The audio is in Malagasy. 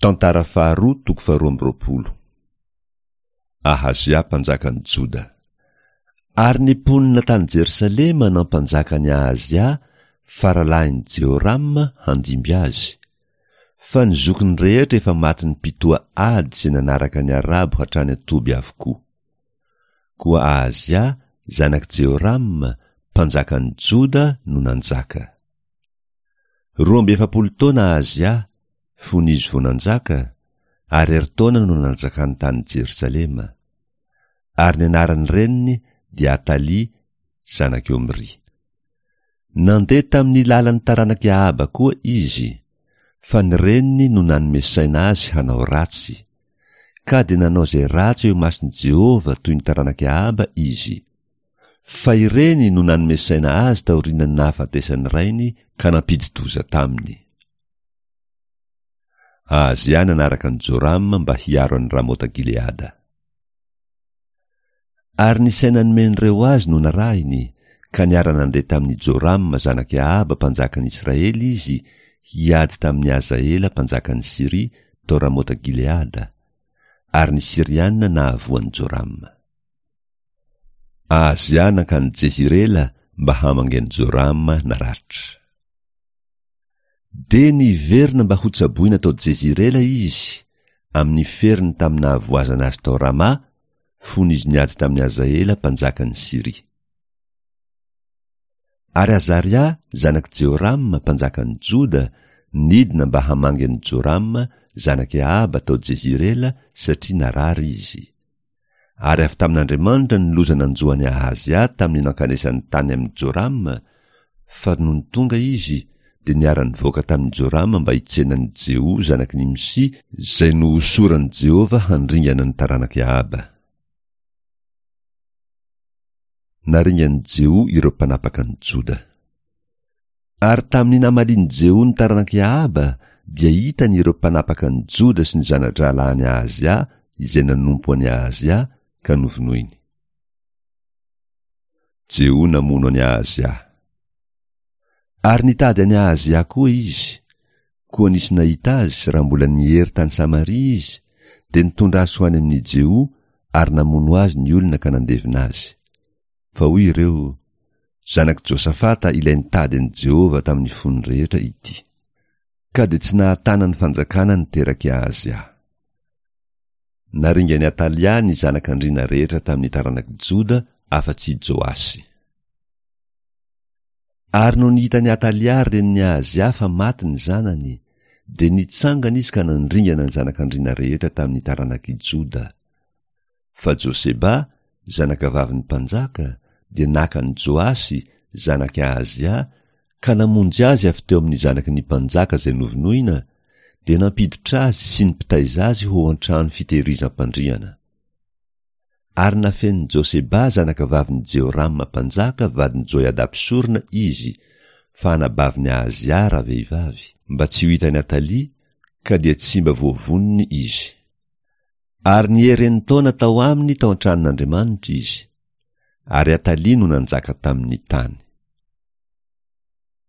Tantara faharoa toko faharoa amby 20. Ahazia mpanjakan'i Joda. Ary ny mponina tany Jerosalema nampanjaka an'i Ahazia faralahin'i Jehorama handimby azy. Fa ny zokiny rehetra efa matin'ny mpitoha ady izay nanaraka ny Arabo hatrany an-toby avokoa. Koa Ahazia, zanak'i Jehorama, mpanjakan'i Joda no nanjaka. 42 taona Ahazia, fony izy vao nanjaka, ary herintaona no nanjakany tany Jerosalema. Ary ny anaran'ny reniny dia Atalia, zanak'i Omry. Nandeha tamin'ny lalan'ny taranak'i Ahaba koa izy, fa ny reniny no nanome saina azy hanao ratsy. Ka dia nanao izay ratsy eo imason'i Jehovah toy ny taranak'i Ahaba izy. Fa ireny no nanome saina azy taorian'ny nahafatesan'ny rainy ka nampidi-doza taminy. Ahazia nanaraka an'i Jorama mba hiaro an'i Ramota-gileada. Ary ny saina nomen'ireo azy no narahiny, ka niara-nandeha tamin'i Jorama zanak'i Ahaba mpanjakan'i Israely izy hiady tamin'i Hazaela mpanjakan'i Syria tao Ramota-gileada, ary ny Syriana nahavoa an'i Jorama. Ahazia nankany Jezirela mba hamangy an'i Jorama naratra. Dia niverina mba hotsaboina tao Jezirela izy, amin'ny feriny tamin'ny nahavoazana azy tao Rama, fony izy niady tamin'i Hazaela mpanjakan'i Syria. Ary Azaria, zanak'i Jehorama, mpanjakan'i Joda, nidina mba hamangy an'i Jorama, zanak'i Ahaba tao Jezirela, satria narary izy. Ary avy tamin'Andriamanitra ny loza nanjo an'i Ahazia tamin'ny nankanesany tany amin'i Jorama, fa nony tonga izy, dia niara-nivoaka tamin'i Jorama mba hitsena an'i Jeho zanak'i Nimsy, izay nohosoran'i Jehovah handringana ny taranak'i Ahaba. Naringan'i Jeho ireo mpanapaka an'i Joda. Ary tamin'ny namalian'i Jeho ny taranak'i Ahaba, dia hitany ireo mpanapaka an'i Joda sy ny zana-drahalahin'i Ahazia izay nanompo an'i Ahazia, ka novonoiny. Jeho namono an'i Ahazia. Ary nitady an'i Ahazia koa izy, koa nisy nahita azy raha mbola niery tany Samaria izy, dia nitondra azy ho any amin'i Jeho ary namono azy ny olona ka nandevina azy. Fa hoy ireo, Zanak'i Josafata ilay nitady an'i Jehovah tamin'ny fony rehetra ity. Ka dia tsy nahatana ny fanjakana ny terak'i Ahazia. Naringan'i Atalia ny zanak'andriana rehetra tamin'ny taranak'i Joda afa-tsy i Joasy. Ary nony hitan'i Atalia renin'i Ahazia fa maty ny zanany, dia nitsangana izy ka nandringana ny zanak'andriana rehetra tamin'ny taranak'i Joda. Fa Joseba, zanakavavin'ny mpanjaka, dia naka an'i Joasy, zanak'i Ahazia, ka namonjy azy avy teo amin'ny zanaky ny mpanjaka izay novonoina, dia nampiditra azy sy ny mpitaiza azy ho ao an-trano fitehirizam-pandriana. Ary nafenin'i Joseba zanakavavin'i Jehorama mpanjaka vadin'i Joiada mpisorona izy, fa anabavin'i Ahazia ravehivavy, mba tsy ho hitan'i Atalia, ka dia tsy mba voavonony izy. Ary niery enin-taona tao aminy tao an-tranon'Andriamanitra izy. Ary Atalia no nanjaka tamin'ny tany.